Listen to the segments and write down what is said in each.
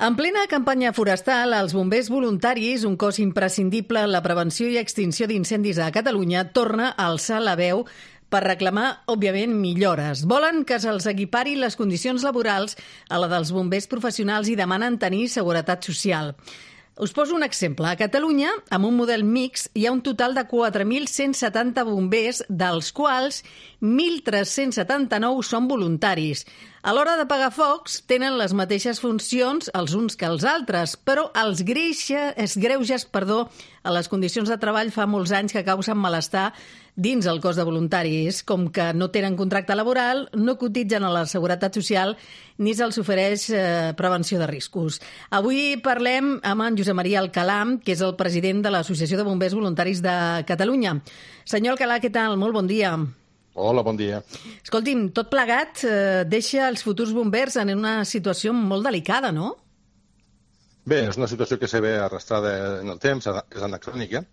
En plena campanya forestal, els bombers voluntaris, un cos imprescindible en la prevenció i extinció d'incendis a Catalunya, torna a alçar la veu per reclamar, òbviament, millores. Volen que se'ls equipari les condicions laborals a la dels bombers professionals i demanen tenir seguretat social. Us poso un exemple. A Catalunya, amb un model mix, hi ha un total de 4.170 bombers, dels quals 1.379 són voluntaris. A l'hora de pagar focs, tenen les mateixes funcions els uns que els altres, però els greuges a les condicions de treball fa molts anys que causen malestar dins el cos de voluntaris, com que no tenen contracte laboral, no cotitzen a la Seguretat Social ni se'ls ofereix prevenció de riscos. Avui parlem amb en Josep Maria Alcalà, que és el president de l'Associació de Bombers Voluntaris de Catalunya. Senyor Alcalà, què tal? Molt bon dia. Hola, bon dia. Escolti'm, tot plegat deixa els futurs bombers en una situació molt delicada, no? Bé, és una situació que se ve arrastrada en el temps, és anacrònica,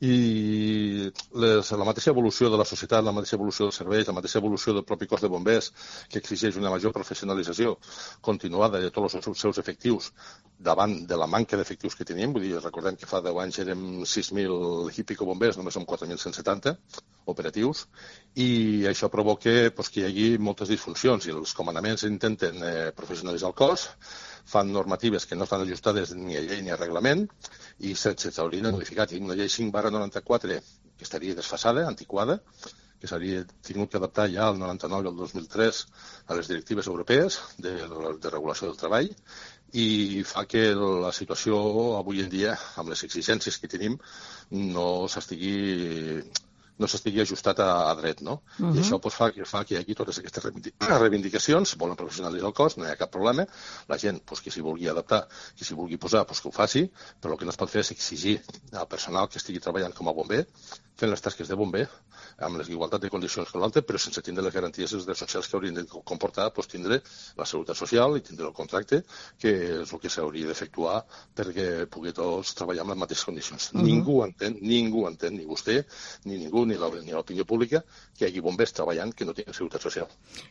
i la mateixa evolució de la societat, la mateixa evolució dels serveis, la mateixa evolució del propi cos de bombers, que exigeix una major professionalització continuada de tots els seus efectius davant de la manca d'efectius que tenim. Vull dir, recordem que fa 10 anys érem 6.000 i pico bombers, només som 4.170 operatius, i això provoca que hi hagi moltes disfuncions, i els comandaments intenten professionalitzar el cos, fan normatives que no estan ajustades ni a llei ni a reglament, i s'haurien de modificar. Tenim una llei 5/94 que estaria desfasada, antiquada, que s'hauria tingut que adaptar ja al 99 i al 2003 a les directives europees de regulació del treball, i fa que la situació avui en dia, amb les exigències que tenim, no s'estigui ajustat a dret, no? I això fa que hi hagi totes aquestes reivindicacions, volen professionalitzar el cos, no hi ha cap problema, la gent que s'hi vulgui adaptar, que s'hi vulgui posar, que ho faci, però el que no es pot fer és exigir al personal que estigui treballant com a bomber, fent les tasques de bomber, amb les igualtat de condicions que l'altre, però sense tindre les garanties i els drets socials que haurien de comportar tindre la seguretat social i tindre el contracte, que és el que s'hauria d'efectuar perquè pugui tots treballar amb les mateixes condicions. Ningú entén, ni vostè, ni ningú, ni l'opinió pública, que hi hagi bombers treballant que no tinguin seguretat social.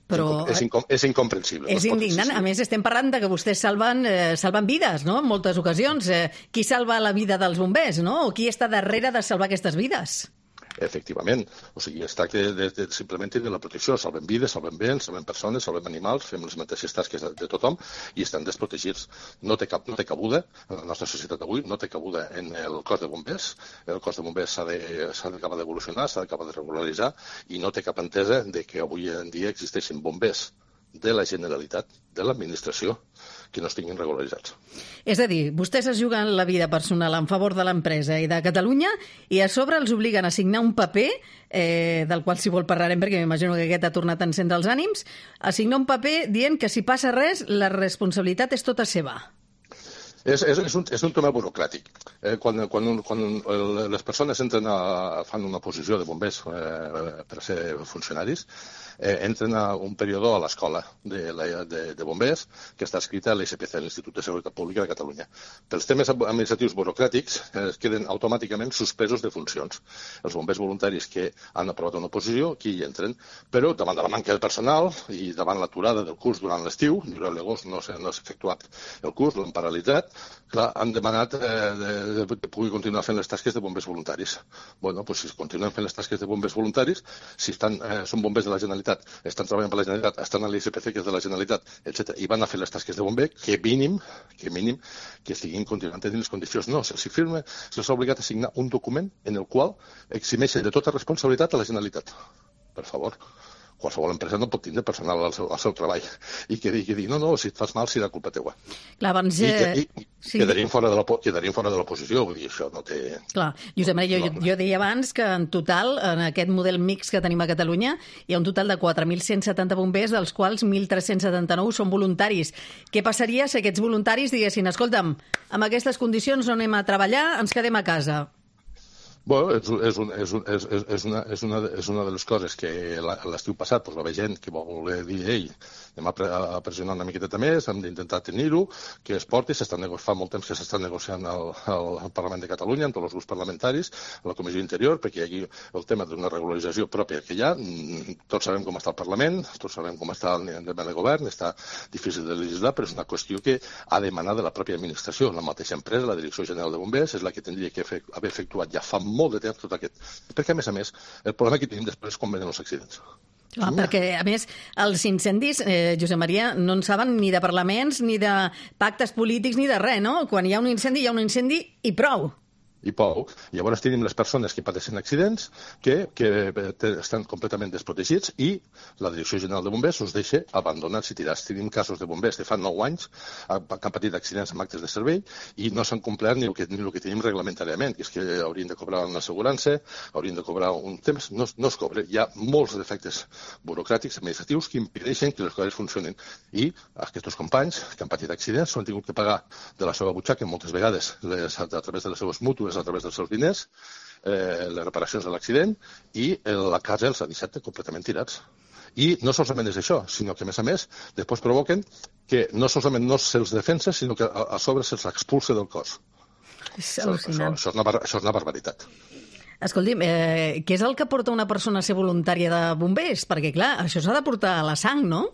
Però És incomprensible. És indignant. A més, estem parlant de que vostès salven vides, no?, en moltes ocasions. Qui salva la vida dels bombers, no? O qui està darrere de salvar aquestes vides? Efectivament. O sigui, es tracta de simplement tenir la protecció. Salvem vides, salvem béns, salvem persones, salvem animals, fem les mateixes tasques de tothom i estan desprotegits. No té cabuda, en la nostra societat d'avui, no té cabuda en el cos de bombers. El cos de bombers s'ha d'acabar d'evolucionar, s'ha d'acabar de regularitzar, i no té cap entesa de que avui en dia existeixin bombers de la Generalitat, de l'administració, que no estiguin regularitzats. És a dir, vostès es juguen la vida personal en favor de l'empresa i de Catalunya i a sobre els obliguen a signar un paper, del qual si vol parlarem perquè m'imagino que aquest ha tornat a encendre els ànims, a signar un paper dient que si passa res la responsabilitat és tota seva. És un tema burocràtic. Quan les persones fan una posició de bombers per ser funcionaris, entren a un període a l'escola de bombers que està escrita a l'ISPC, l'Institut de Seguretat Pública de Catalunya. Pels temes administratius burocràtics es queden automàticament suspesos de funcions. Els bombers voluntaris que han aprovat una oposició, aquí hi entren, però davant de la manca de personal i davant l'aturada del curs durant l'estiu, durant l'agost no s'ha efectuat el curs, l'han paralitzat, clar, han demanat que pugui continuar fent les tasques de bombers voluntaris. Bueno, doncs si continuen fent les tasques de bombers voluntaris, si són bombers de la Generalitat, estan treballant per la Generalitat, estan a l'ISPC, que és de la Generalitat, etc., i van a fer les tasques de bomber, que mínim que estiguin continuant tenint les condicions. No, se'ls ha obligat a signar un document en el qual eximeixen de tota responsabilitat a la Generalitat. Per favor. Qualsevol empresa no pot tindre personal al seu treball i que digui, no, si et fas mal serà culpa teua. Clar, abans... Quedarien fora de l'oposició, vull dir, això no té... Clar, Josep Maria, jo deia abans que en total, en aquest model mix que tenim a Catalunya, hi ha un total de 4.170 bombers, dels quals 1.379 són voluntaris. Què passaria si aquests voluntaris diguessin, escolta'm, amb aquestes condicions no anem a treballar, ens quedem a casa? Bueno, és una de les coses que l'estiu passat va haver gent que va voler dir anem a pressionar una miqueta més, hem d'intentar tenir-ho, que es porti, fa molt temps que s'està negociant al Parlament de Catalunya, amb tots els grups parlamentaris, a la Comissió Interior, perquè hi hagi el tema d'una regularització pròpia que hi ha. Tots sabem com està el Parlament, tots sabem com està el tema de govern, està difícil de legislar, però és una qüestió que ha demanat de la pròpia administració. La mateixa empresa, la Direcció General de Bombers, és la que tindria que haver efectuat ja fa molt de temps tot aquest. Perquè, a més, el problema que tenim després és com venen els accidents. Perquè, a més, els incendis, Josep Maria, no en saben ni de parlaments, ni de pactes polítics, ni de res, no? Quan hi ha un incendis i prou. I prou. Llavors tenim les persones que pateixen accidents que estan completament desprotegits i la Direcció General de Bombers us deixa abandonats i tirats. Tenim casos de bombers de fa 9 anys que han patit accidents amb actes de servei i no s'han complert ni el que tenim reglamentàriament, que és que haurien de cobrar una assegurança, haurien de cobrar un temps, no es cobra. Hi ha molts defectes burocràtics, administratius, que impedeixen que les coses funcionin. I aquests companys que han patit accidents s'ho han tingut que pagar de la seva butxaca moltes vegades a través de les seves mútues, a través dels seus diners, les reparacions de l'accident, i la casa els ha deixat completament tirats. I no solament és això, sinó que, a més, després provoquen que no solament no se'ls defensa, sinó que a sobre se'ls expulsa del cos. És al·lucinant. Això és una barbaritat. Escolti'm, què és el que porta una persona a ser voluntària de bombers? Perquè, clar, això s'ha de portar a la sang, no?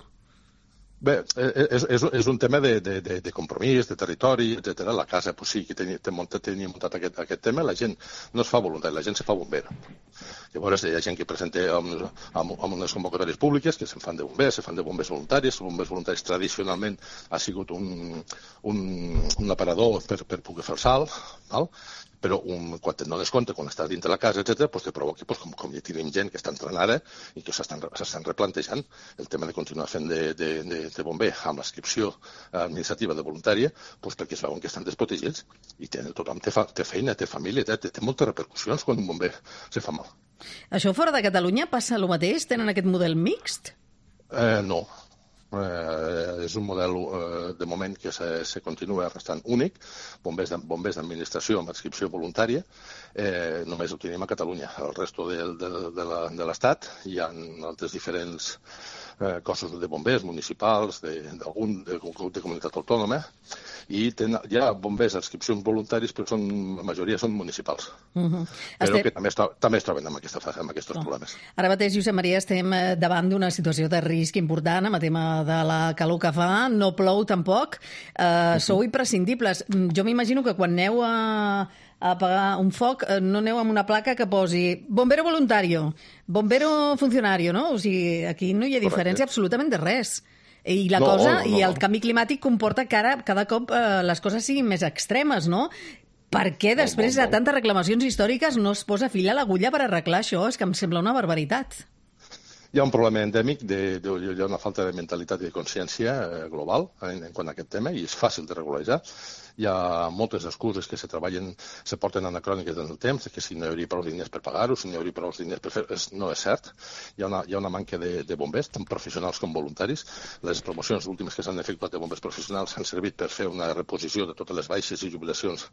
Bé, és un tema de compromís, de territori, etc. La casa sí que tenia muntat aquest tema. La gent no es fa voluntària, la gent se fa bomber. Llavors hi ha gent que presenta amb unes convocatòries públiques que se'n fan de bombers voluntaris. Els bombers voluntaris tradicionalment ha sigut un aparador per poder fer el salt, val? Però quan et dones compte, quan estàs dins de la casa, etc., te provoca, com ja tenim gent que està entrenada i que s'estan replantejant el tema de continuar fent de bomber amb l'inscripció administrativa de voluntària, perquè es veuen que estan desprotegits i tothom té feina, té família, té moltes repercussions quan un bomber se fa mal. Això fora de Catalunya passa el mateix? Tenen aquest model mixt? No. És un model de moment que se continua restant únic, bombers d'administració amb adscripció voluntària, només ho tenim a Catalunya. El resto de l'Estat hi ha altres diferents cossos de bombers municipals, de comunitat autònoma, i hi ha bombers d'adscripcions voluntaris, però la majoria són municipals. Però que també es troben amb aquests problemes. Ara mateix, Josep Maria, estem davant d'una situació de risc important amb el tema de la calor que fa, no plou tampoc, sou imprescindibles. Jo m'imagino que quan aneu a apagar un foc no aneu amb una placa que posi bombero voluntario, bombero funcionario, no? O sigui, aquí no hi ha diferència absolutament de res. I la cosa, i el canvi climàtic comporta que ara cada cop les coses siguin més extremes, no? Per què després de tantes reclamacions històriques no es posa fil a l'agulla per arreglar això? És que em sembla una barbaritat. Hi ha un problema endèmic, hi ha una falta de mentalitat i de consciència global en quant a aquest tema, i és fàcil de regularitzar. Hi ha moltes excuses que se porten anacròniques en el temps, que si no hi hauria prou diners per pagar-ho, si no hi hauria prou diners per fer-ho, no és cert. Hi ha una manca de bombers, tant professionals com voluntaris. Les promocions últimes que s'han efectuat de bombers professionals han servit per fer una reposició de totes les baixes i jubilacions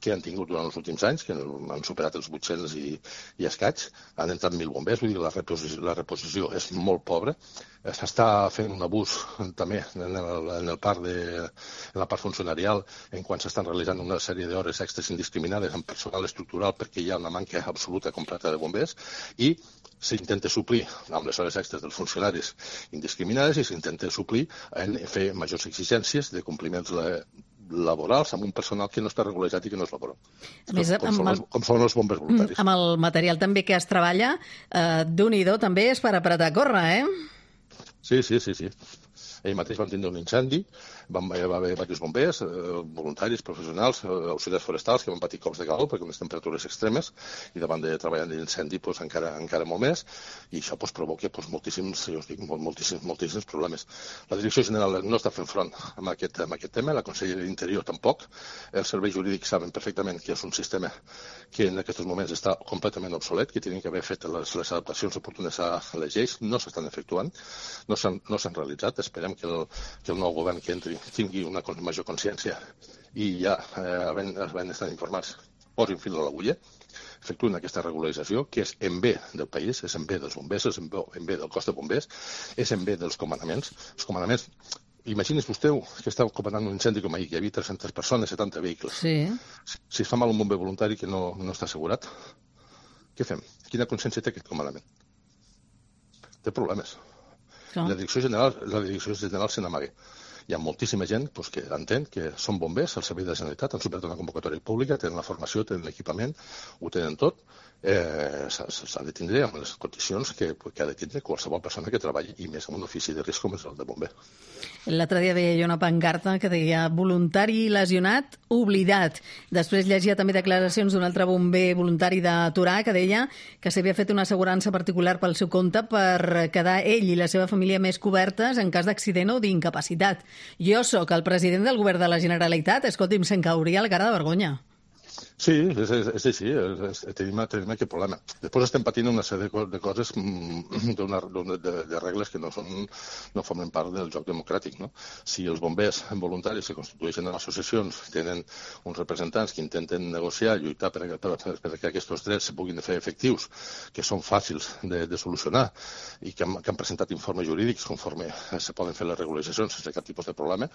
que han tingut durant els últims anys, que han superat els 800 i escaig. Han entrat 1.000 bombers, vull dir que la reposició és molt pobra. S'està fent un abús també en la part funcionarial quan s'estan realitzant una sèrie d'hores extres indiscriminades amb personal estructural perquè hi ha una manca absoluta completa de bombers i s'intenta suplir amb les hores extres dels funcionaris indiscriminades i s'intenta suplir en fer majors exigències de compliments laborals amb un personal que no està regularitzat i que no és laboral. Com són els bombers voluntaris. Amb el material també que es treballa, Déu-n'hi-do també és per apretar a córrer, Sí. Ahir mateix vam tindre un incendi, va haver diversos bombers, voluntaris, professionals, auxiliars forestals que van patir cops de calor perquè unes temperatures extremes i davant de treballar en l'incendi encara molt més, i això provoca moltíssims problemes. La Direcció General no està fent front amb aquest tema, la Conselleria d'Interior tampoc, els serveis jurídics saben perfectament que és un sistema que en aquests moments està completament obsolet, que tenen que haver fet les adaptacions oportunes a les lleis, no s'estan efectuant, no s'han realitzat. Esperem que el nou govern que entri tingui una major consciència i ja havent estat informats posin fil a l'agulla. efectuïn aquesta regularització, que és en bé del país, és en bé dels bombers, és en bé del cos de bombers, és en bé dels comandaments. Els comandaments, imagini's vostè que està comandant un incendi com ahir, que hi havia 300 persones, 70 vehicles. Sí. Si es fa mal un bomber voluntari que no està assegurat, què fem? Quina consciència té aquest comandament? Té problemes. La direcció general se n'amaga. Hi ha moltíssima gent que entén que són bombers al servei de la Generalitat, han superat una convocatòria pública, tenen la formació, tenen l'equipament, ho tenen tot. S'ha de tindre amb les condicions que ha de tindre qualsevol persona que treballi, i més en un ofici de risc com és el de bomber. L'altre dia veia jo una pancarta que deia voluntari lesionat, oblidat. Després llegia també declaracions d'un altre bomber voluntari de Torà que deia que s'havia fet una assegurança particular pel seu compte per quedar ell i la seva família més cobertes en cas d'accident o d'incapacitat. Jo sóc el president del govern de la Generalitat, escolti'm, se'm cauria la cara de vergonya. Sí, és així, tenim aquest problema. Després estem patint una sèrie de coses, de regles que no formen part del joc democràtic. No? Si els bombers voluntaris que constitueixen associacions tenen uns representants que intenten negociar, lluitar perquè aquests drets se puguin fer efectius, que són fàcils de solucionar i que han presentat informes jurídics conforme se poden fer les regularitzacions sense cap tipus de problema,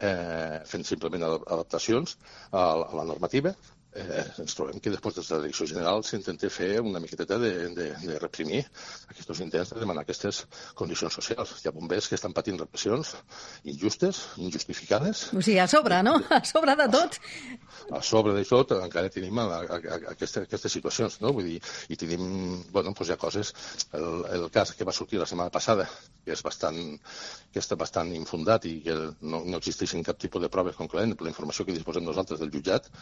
fent simplement adaptacions a la normativa, ens trobem que després de la direcció general s'intenta fer una miqueteta de reprimir aquests intents de demanar aquestes condicions socials. Hi ha bombers que estan patint repressions injustes, injustificades. O sigui, a sobre, no? A sobre de tot. A sobre de tot encara tenim aquestes situacions, no? Vull dir, i tenim, hi ha coses, el cas que va sortir la setmana passada, que està bastant infundat i que no existeixen cap tipus de proves concloent per la informació que disposem nosaltres del jutjat,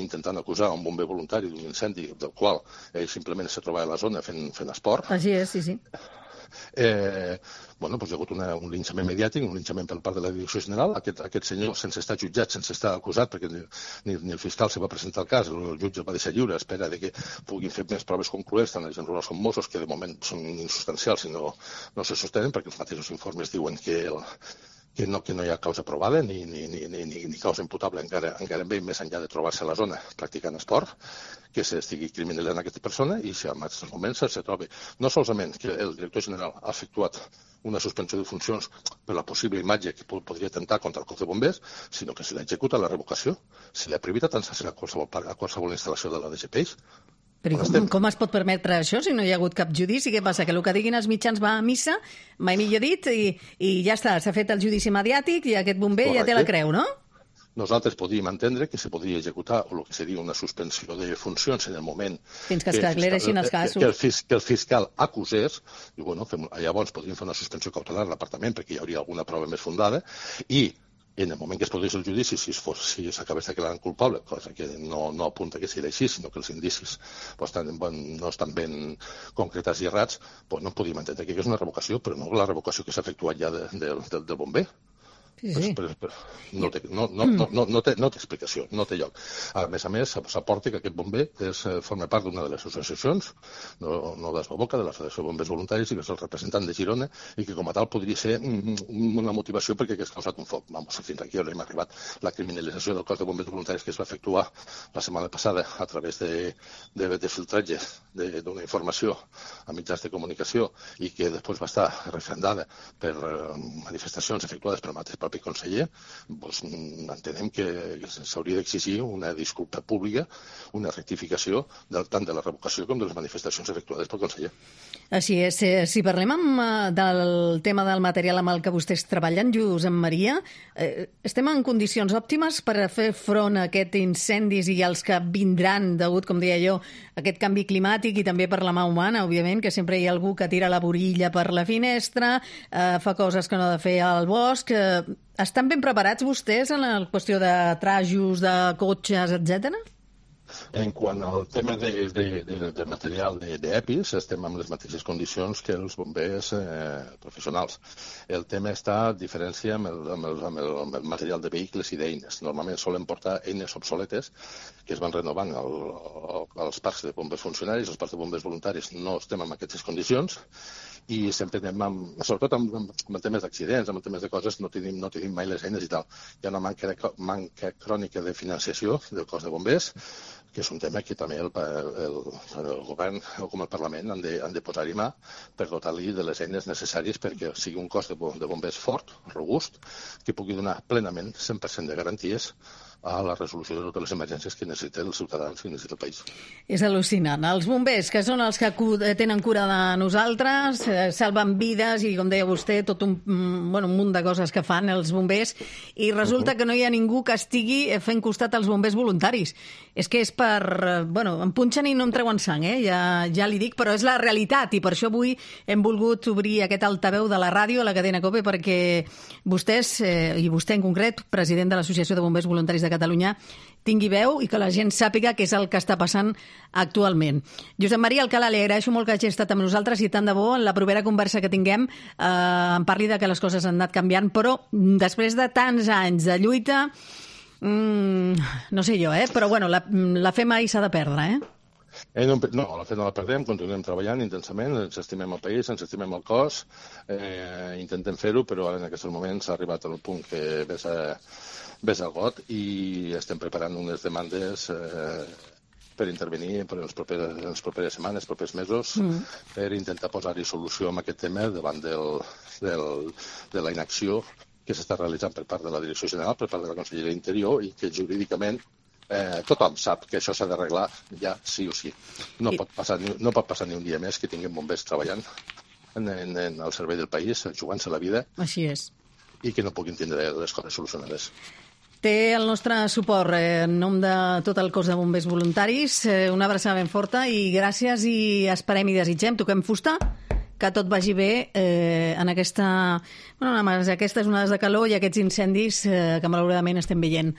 intentant acusar un bomber voluntari d'un incendi del qual ell simplement se trobava a la zona fent esport. Així és, sí. Hi ha hagut un linxament mediàtic, un linxament per part de la direcció general. Aquest senyor, sense estar jutjat, sense estar acusat, perquè ni el fiscal se va presentar el cas, el jutge el va deixar lliure a espera que puguin fer més proves concloents, tant els agents rurals com Mossos, que de moment són insubstancials i no se sostenen, perquè els mateixos informes diuen que no hi ha causa provada ni causa imputable encara més enllà de trobar-se a la zona practicant esport, que s'estigui criminalitzant aquesta persona, i si en aquests moments se troba no solament que el director general ha efectuat una suspensió de funcions per la possible imatge que podria atemptar contra el cos de bombers, sinó que se l'ha executat la revocació, se l'ha prohibit transferir a qualsevol instal·lació de la DGPeix. Però com es pot permetre això si no hi ha hagut cap judici? Què passa? Que el que diguin els mitjans va a missa, mai millor dit, i ja està, s'ha fet el judici mediàtic i aquest bomber ja té la creu, no? Nosaltres podíem entendre que se podia executar el que seria una suspensió de funcions en el moment fins que es aclareixin els casos. Que el fiscal acusés, i llavors podríem fer una suspensió cautelar a l'apartament perquè hi hauria alguna prova més fundada, i en el moment que es produís el judici, si s'acabés declarant culpable, cosa que no apunta que sigui així, sinó que els indicis no estan ben concretats i errats, no podíem entendre que és una revocació, però no la revocació que s'ha efectuat ja del bomber. Sí. No té explicació, no té lloc. A més, s'aporta que aquest bomber forma part d'una de les associacions, no d'Esboboca, de la Federació de Bombers Voluntaris, i que és el representant de Girona, i que com a tal podria ser una motivació perquè hagués causat un foc. Fins aquí on hem arribat. La criminalització del cos de bombers voluntaris que es va efectuar la setmana passada a través de filtratge d'una informació a mitjans de comunicació i que després va estar refrendada per manifestacions efectuades per mateix propi conseller, entenem que s'hauria d'exigir una disculpa pública, una rectificació tant de la revocació com de les manifestacions efectuades pel conseller. Així és. Si parlem del tema del material amb el que vostès treballen, Josep Maria, estem en condicions òptimes per a fer front a aquests incendis i els que vindran degut, com deia jo, a aquest canvi climàtic i també per la mà humana, òbviament, que sempre hi ha algú que tira la borilla per la finestra, fa coses que no ha de fer al bosc. Estan ben preparats vostès en la qüestió de trajos, de cotxes, etcètera? En quant al tema de material d'EPIs, estem en les mateixes condicions que els bombers professionals. El tema està a diferència amb el material de vehicles i d'eines. Normalment solen portar eines obsoletes que es van renovant als parcs de bombers funcionaris, els parcs de bombers voluntaris no estem en aquestes condicions, i sempre anem, sobretot amb temes d'accidents, amb temes de coses, no tenim mai les eines i tal. Hi ha una manca crònica de financiació del cos de bombers, que és un tema que també el govern o com el Parlament han de posar-hi mà per dotar-li de les eines necessàries perquè sigui un cos de bombers fort, robust, que pugui donar plenament 100% de garanties a la resolució de totes les emergències que necessiten els ciutadans, que necessita el país. És al·lucinant. Els bombers, que són els que tenen cura de nosaltres, salven vides i, com deia vostè, tot un munt de coses que fan els bombers, i resulta que no hi ha ningú que estigui fent costat als bombers voluntaris. És que és per... em punxen i no em treuen sang, ja li dic, però és la realitat, i per això avui hem volgut obrir aquest altaveu de la ràdio, a la cadena COPE, perquè vostès, i vostè en concret, president de l'Associació de Bombers Voluntaris de Catalunya, tingui veu i que la gent sàpiga què és el que està passant actualment. Josep Maria Alcalà, li agraeixo molt que hagi estat amb nosaltres i tant de bo en la propera conversa que tinguem em parli de que les coses han anat canviant, però després de tants anys de lluita, no sé jo, però la fe mai s'ha de perdre, No, la fe no la perdem, continuem treballant intensament, ens estimem el país, ens estimem el cos, intentem fer-ho, però ara en aquests moments s'ha arribat al punt que ves al got i estem preparant unes demandes per intervenir per les properes setmanes, els propers mesos, per intentar posar-hi solució a aquest tema davant de la inacció que s'està realitzant per part de la Direcció General, per part de la Conselleria d'Interior, i que jurídicament tothom sap que això s'ha d'arreglar ja sí o sí. No pot passar ni un dia més que tinguem bombers treballant al servei del país, jugant-se la vida. Així és. I que no puguin tindre les coses solucionades. Té el nostre suport en nom de tot el cos de bombers voluntaris. Una abraçada ben forta i gràcies, i esperem i desitgem, toquem fusta, que tot vagi bé en aquestes onades de calor i aquests incendis que malauradament estem veient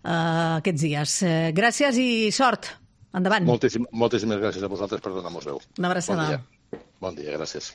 aquests dies. Gràcies i sort. Endavant. Moltíssimes gràcies a vosaltres per donar-nos veu. Una abraçada. Bon dia, gràcies.